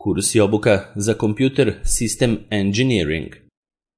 Kurs i obuka za Computer System Engineering.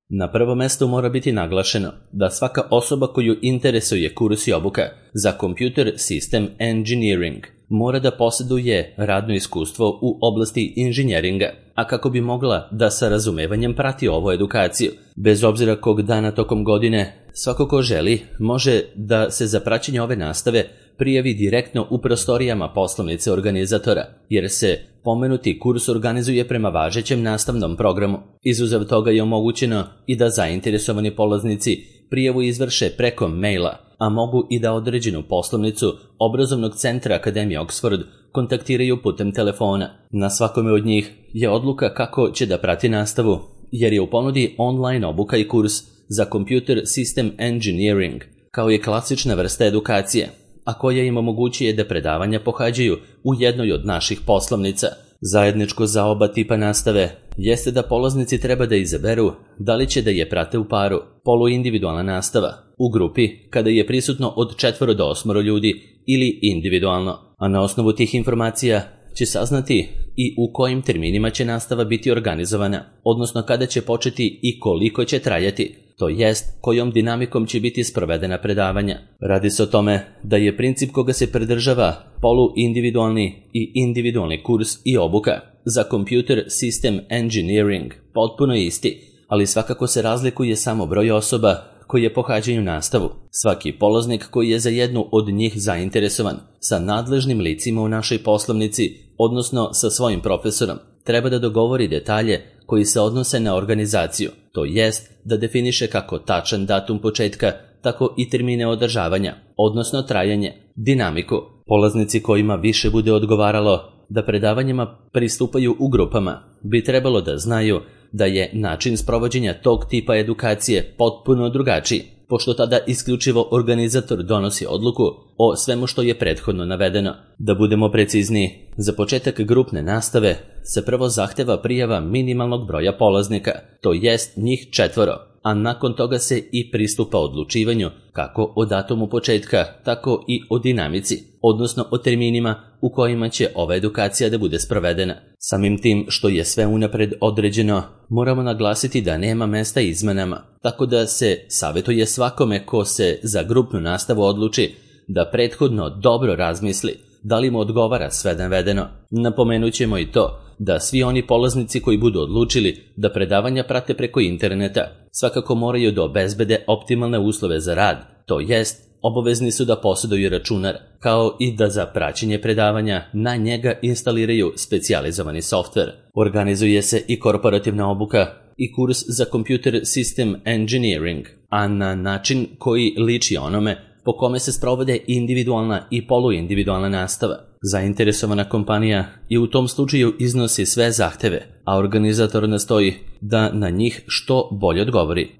Na prvo mesto mora biti naglašeno da svaka osoba koju interesuje kurs i obuka za Computer System Engineering mora da posjeduje radno iskustvo u oblasti inženjeringa, a kako bi mogla da sa razumevanjem prati ovu edukaciju. Bez obzira kog dana tokom godine, svako ko želi može da se za praćenje ove nastave prijavi direktno u prostorijama poslovnice organizatora, jer se pomenuti kurs organizuje prema važećem nastavnom programu. Izuzev toga je omogućeno i da zainteresovani polaznici prijavu izvrše preko maila, a mogu i da određenu poslovnicu obrazovnog centra Akademije Oxford kontaktiraju putem telefona. Na svakome od njih je odluka kako će da prati nastavu, jer je u ponudi online obuka i kurs za Computer System Engineering, kao je klasična vrsta edukacije, a koja im omogućuje da predavanja pohađaju u jednoj od naših poslovnica. Zajedničko za oba tipa nastave jeste da polaznici treba da izaberu da li će da je prate u paru, poluindividualna nastava, u grupi kada je prisutno od 4 do 8 ljudi ili individualno, a na osnovu tih informacija će saznati i u kojim terminima će nastava biti organizovana, odnosno kada će početi i koliko će trajati, to jest kojom dinamikom će biti sprovedena predavanja. Radi se o tome da je princip koga se pridržava poluindividualni i individualni kurs i obuka za Computer System Engineering potpuno isti, ali svakako se razlikuje samo broj osoba koje pohađaju nastavu. Svaki polaznik koji je za jednu od njih zainteresovan sa nadležnim licima u našoj poslovnici, odnosno sa svojim profesorom, treba da dogovori detalje koji se odnose na organizaciju, to jest da definiše kako tačan datum početka, tako i termine održavanja, odnosno trajanje, dinamiku. Polaznici kojima više bude odgovaralo da predavanjima pristupaju u grupama bi trebalo da znaju da je način sprovođenja tog tipa edukacije potpuno drugačiji, pošto tada isključivo organizator donosi odluku o svemu što je prethodno navedeno. Da budemo precizniji, za početak grupne nastave se prvo zahteva prijava minimalnog broja polaznika, to jest njih 4, a nakon toga se i pristupa odlučivanju kako o datumu početka, tako i o dinamici, odnosno o terminima u kojima će ova edukacija da bude sprovedena. Samim tim što je sve unapred određeno, moramo naglasiti da nema mesta izmenama, tako da se savjetuje svakome ko se za grupnu nastavu odluči da prethodno dobro razmisli da li mu odgovara sve navedeno. Napomenut ćemo i to da svi oni polaznici koji budu odlučili da predavanja prate preko interneta svakako moraju da obezbede optimalne uslove za rad, to jest obavezni su da posjeduju računar, kao i da za praćenje predavanja na njega instaliraju specijalizovani softver. Organizuje se i korporativna obuka i kurs za Computer System Engineering, a na način koji liči onome po kome se sprovode individualna i poluindividualna nastava. Zainteresovana kompanija i u tom slučaju iznosi sve zahteve, a organizator nastoji da na njih što bolje odgovori.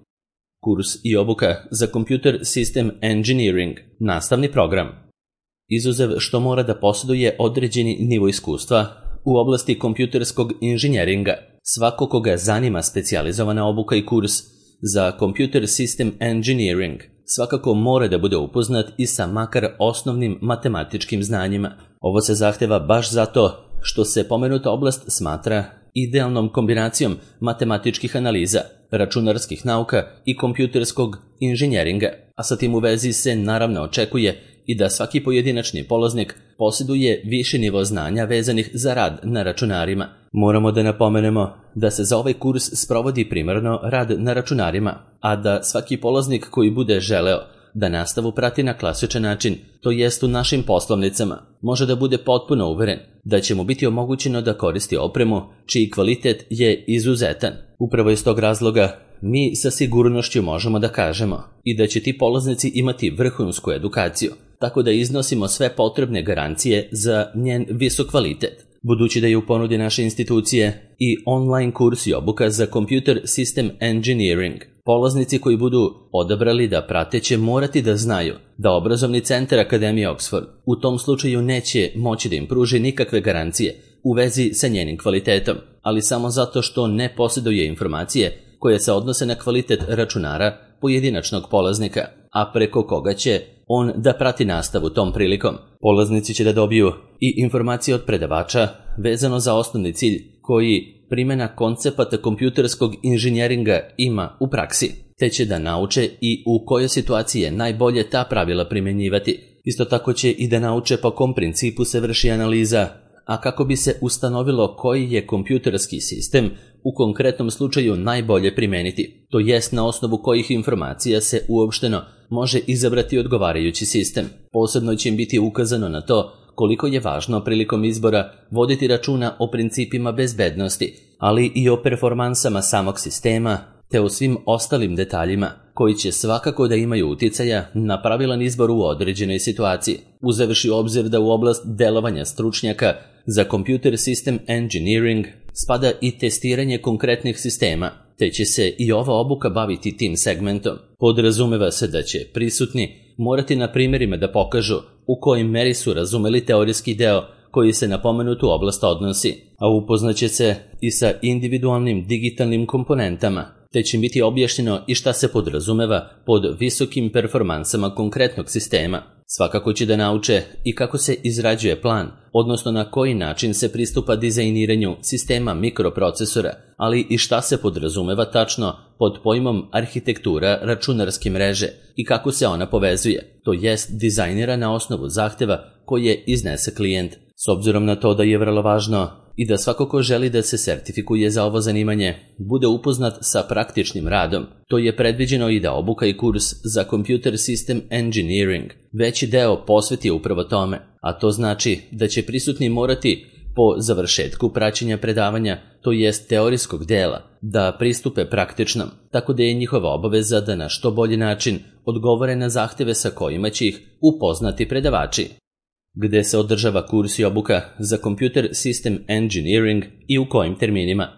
Kurs i obuka za Computer System Engineering, nastavni program. Izuzev što mora da posjeduje određeni nivo iskustva u oblasti kompjuterskog inženjeringa, svako koga zanima specijalizovana obuka i kurs za Computer System Engineering svakako mora da bude upoznat i sa makar osnovnim matematičkim znanjima. Ovo se zahteva baš zato što se pomenuta oblast smatra idealnom kombinacijom matematičkih analiza, računarskih nauka i kompjuterskog inženjeringa, a sa tim u vezi se naravno očekuje i da svaki pojedinačni polaznik posjeduje viši nivo znanja vezanih za rad na računarima. Moramo da napomenemo da se za ovaj kurs sprovodi primarno rad na računarima, a da svaki polaznik koji bude želeo da nastavu prati na klasičan način, to jest u našim poslovnicama, može da bude potpuno uveren da će mu biti omogućeno da koristi opremu čiji kvalitet je izuzetan. Upravo iz tog razloga mi sa sigurnošću možemo da kažemo i da će ti polaznici imati vrhunsku edukaciju, tako da iznosimo sve potrebne garancije za njen visok kvalitet. Budući da je u ponudi naše institucije i online kurs i obuka za Computer System Engineering, polaznici koji budu odabrali da prate će morati da znaju da obrazovni centar Akademije Oxford u tom slučaju neće moći da im pruži nikakve garancije u vezi sa njenim kvalitetom, ali samo zato što ne posjeduje informacije koje se odnose na kvalitet računara pojedinačnog polaznika, a preko koga će on da prati nastavu tom prilikom. Polaznici će da dobiju i informacije od predavača vezano za osnovni cilj koji primjena koncepata kompjuterskog inženjeringa ima u praksi, te će da nauče i u kojoj situaciji je najbolje ta pravila primjenjivati. Isto tako će i da nauče po kom principu se vrši analiza, a kako bi se ustanovilo koji je kompjuterski sistem u konkretnom slučaju najbolje primeniti, to jest na osnovu kojih informacija se uopšteno može izabrati odgovarajući sistem. Posebno će im biti ukazano na to koliko je važno prilikom izbora voditi računa o principima bezbednosti, ali i o performansama samog sistema, te o svim ostalim detaljima koji će svakako da imaju uticaja na pravilan izbor u određenoj situaciji, uzevši u obzir da u oblast delovanja stručnjaka za Computer System Engineering spada i testiranje konkretnih sistema, te će se i ova obuka baviti tim segmentom. Podrazumeva se da će prisutni morati na primjerima da pokažu u kojoj meri su razumeli teorijski deo koji se na pomenutu oblast odnosi, a upoznaće se i sa individualnim digitalnim komponentama, te će biti objašnjeno i šta se podrazumeva pod visokim performansama konkretnog sistema. Svakako će da nauče i kako se izrađuje plan, odnosno na koji način se pristupa dizajniranju sistema mikroprocesora, ali i šta se podrazumeva tačno pod pojmom arhitektura računarske mreže i kako se ona povezuje, to jest dizajnira na osnovu zahteva koje iznese klijent. S obzirom na to da je vrlo važno i da svako ko želi da se sertifikuje za ovo zanimanje bude upoznat sa praktičnim radom, to je predviđeno i da obuka i kurs za Computer System Engineering veći deo posveti upravo tome, a to znači da će prisutni morati po završetku praćenja predavanja, to jest teorijskog dela, da pristupe praktičnom, tako da je njihova obaveza da na što bolji način odgovore na zahteve sa kojima će ih upoznati predavači. Gde se održava kurs i obuka za Computer System Engineering i u kojim terminima?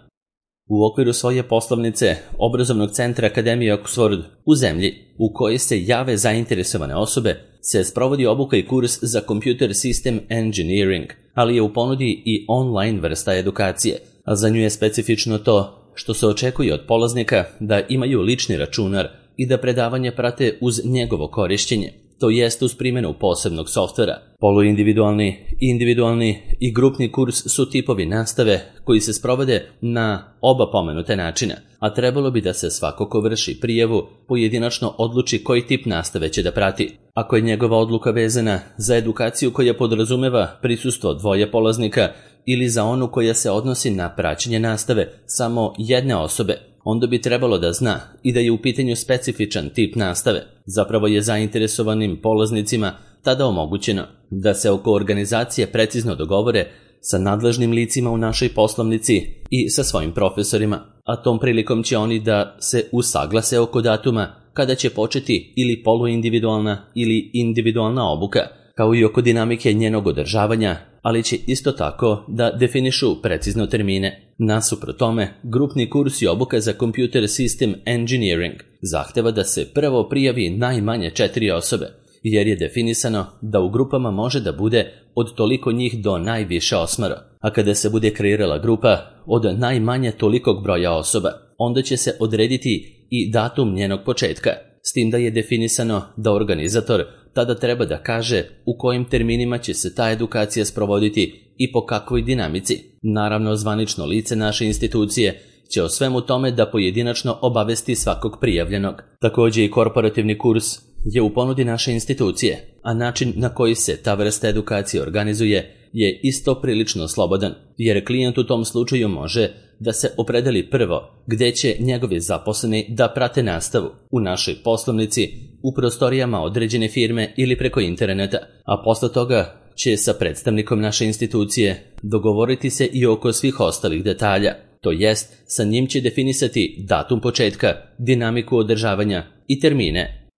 U okviru svoje poslovnice obrazovnog centra Akademije Oxford u zemlji u kojoj se jave zainteresovane osobe se sprovodi obuka i kurs za Computer System Engineering, ali je u ponudi i online vrsta edukacije, a za nju je specifično to što se očekuje od polaznika da imaju lični računar i da predavanje prate uz njegovo korišćenje, to jest uz primjenu posebnog softvera. Poluindividualni, individualni i grupni kurs su tipovi nastave koji se sprovode na oba pomenute načina, a trebalo bi da se svako ko vrši prijavu pojedinačno odluči koji tip nastave će da prati. Ako je njegova odluka vezana za edukaciju koja podrazumeva prisustvo dvoje polaznika ili za onu koja se odnosi na praćenje nastave samo jedne osobe, onda bi trebalo da zna i da je u pitanju specifičan tip nastave. Zapravo je zainteresovanim polaznicima tada omogućeno da se oko organizacije precizno dogovore sa nadležnim licima u našoj poslovnici i sa svojim profesorima, a tom prilikom će oni da se usaglase oko datuma kada će početi ili poluindividualna ili individualna obuka, kao i oko dinamike njenog održavanja, ali će isto tako da definišu precizno termine. Nasuprot tome, grupni kurs i obuka za Computer System Engineering zahteva da se prvo prijavi najmanje 4 osobe, jer je definisano da u grupama može da bude od toliko njih do najviše 8, a kada se bude kreirala grupa od najmanje tolikog broja osoba, onda će se odrediti i datum njenog početka, s tim da je definisano da organizator tada treba da kaže u kojim terminima će se ta edukacija sprovoditi i po kakvoj dinamici. Naravno, zvanično lice naše institucije će o svemu tome da pojedinačno obavesti svakog prijavljenog. Također i korporativni kurs je u ponudi naše institucije, a način na koji se ta vrsta edukacije organizuje je isto prilično slobodan, jer klijent u tom slučaju može da se opredeli prvo gde će njegovi zaposleni da prate nastavu, u našoj poslovnici, u prostorijama određene firme ili preko interneta, a posle toga će sa predstavnikom naše institucije dogovoriti se i oko svih ostalih detalja, to jest sa njim će definisati datum početka, dinamiku održavanja i termine.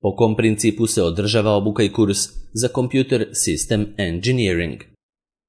Po kom principu se održava obuka i kurs za Computer System Engineering?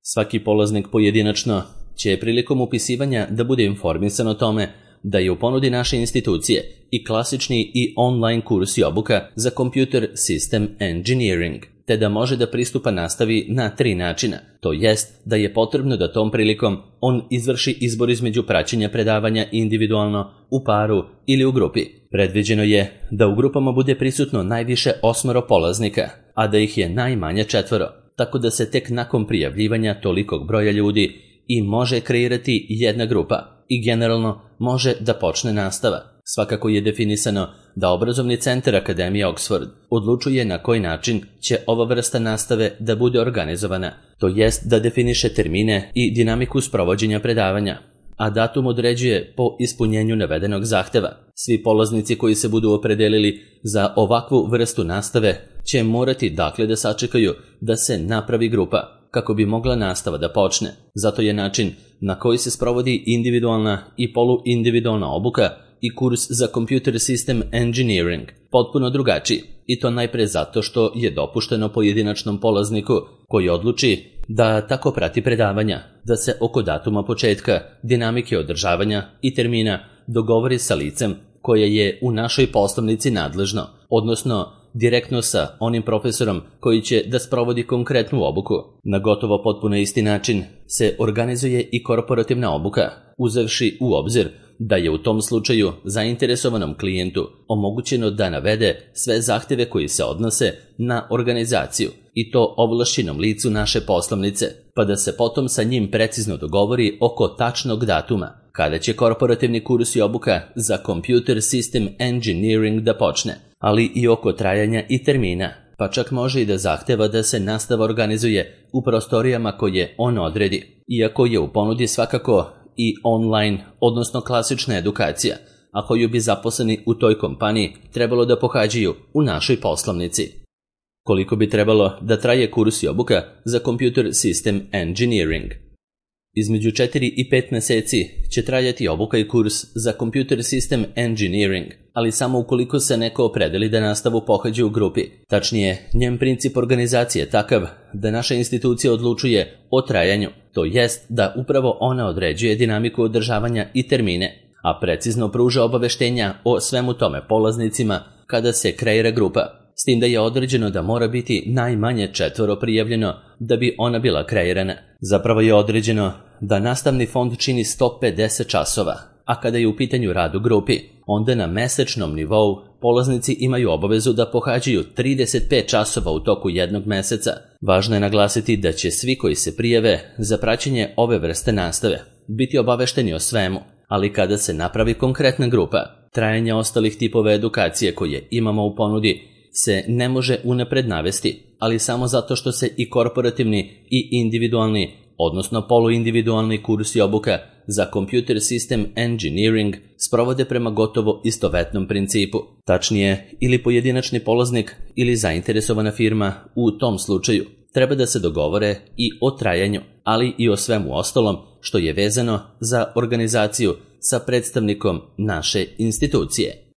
Svaki polaznik pojedinačno će prilikom upisivanja da bude informisan o tome da je u ponudi naše institucije i klasični i online kurs i obuka za Computer System Engineering, te da može da pristupa nastavi na 3 načina, to jest da je potrebno da tom prilikom on izvrši izbor između praćenja predavanja individualno, u paru ili u grupi. Predviđeno je da u grupama bude prisutno najviše 8 polaznika, a da ih je najmanje 4, tako da se tek nakon prijavljivanja tolikog broja ljudi i može kreirati jedna grupa i generalno može da počne nastava. Svakako je definisano da obrazovni centar Akademije Oxford odlučuje na koji način će ova vrsta nastave da bude organizovana, to jest da definiše termine i dinamiku sprovođenja predavanja, a datum određuje po ispunjenju navedenog zahteva. Svi polaznici koji se budu opredelili za ovakvu vrstu nastave će morati dakle da sačekaju da se napravi grupa kako bi mogla nastava da počne. Zato je način na koji se sprovodi individualna i poluindividualna obuka i kurs za Computer System Engineering potpuno drugačiji, i to najpre zato što je dopušteno pojedinačnom polazniku koji odluči da tako prati predavanja, da se oko datuma početka, dinamike održavanja i termina dogovori sa licem koje je u našoj poslovnici nadležno, odnosno direktno sa onim profesorom koji će da sprovodi konkretnu obuku. Na gotovo potpuno isti način se organizuje i korporativna obuka, uzevši u obzir da je u tom slučaju zainteresovanom klijentu omogućeno da navede sve zahteve koji se odnose na organizaciju i to ovlašćenom licu naše poslovnice, pa da se potom sa njim precizno dogovori oko tačnog datuma kada će korporativni kurs i obuka za Computer System Engineering da počne, ali i oko trajanja i termina, pa čak može i da zahteva da se nastava organizuje u prostorijama koje on odredi, iako je u ponudi svakako i online, odnosno klasična edukacija, a koju bi zaposleni u toj kompaniji trebalo da pohađaju u našoj poslovnici. Koliko bi trebalo da traje kurs i obuka za Computer System Engineering? Između 4 i 5 meseci će trajati obuka i kurs za Computer System Engineering, ali samo ukoliko se neko opredeli da nastavu pohađa u grupi. Tačnije, njen princip organizacije je takav da naša institucija odlučuje o trajanju, to jest da upravo ona određuje dinamiku održavanja i termine, a precizno pruža obaveštenja o svemu tome polaznicima kada se kreira grupa, s tim da je određeno da mora biti najmanje 4 prijavljeno da bi ona bila kreirana. Zapravo je određeno da nastavni fond čini 150 časova, a kada je u pitanju rad u grupi, onda na mesečnom nivou polaznici imaju obavezu da pohađaju 35 časova u toku jednog meseca. Važno je naglasiti da će svi koji se prijave za praćenje ove vrste nastave biti obavešteni o svemu, ali kada se napravi konkretna grupa, trajanje ostalih tipova edukacije koje imamo u ponudi se ne može unapred navesti, ali samo zato što se i korporativni i individualni, odnosno poluindividualni kurs i obuka za Computer System Engineering sprovode prema gotovo istovetnom principu. Tačnije, ili pojedinačni polaznik ili zainteresovana firma u tom slučaju treba da se dogovore i o trajanju, ali i o svemu ostalom što je vezano za organizaciju sa predstavnikom naše institucije.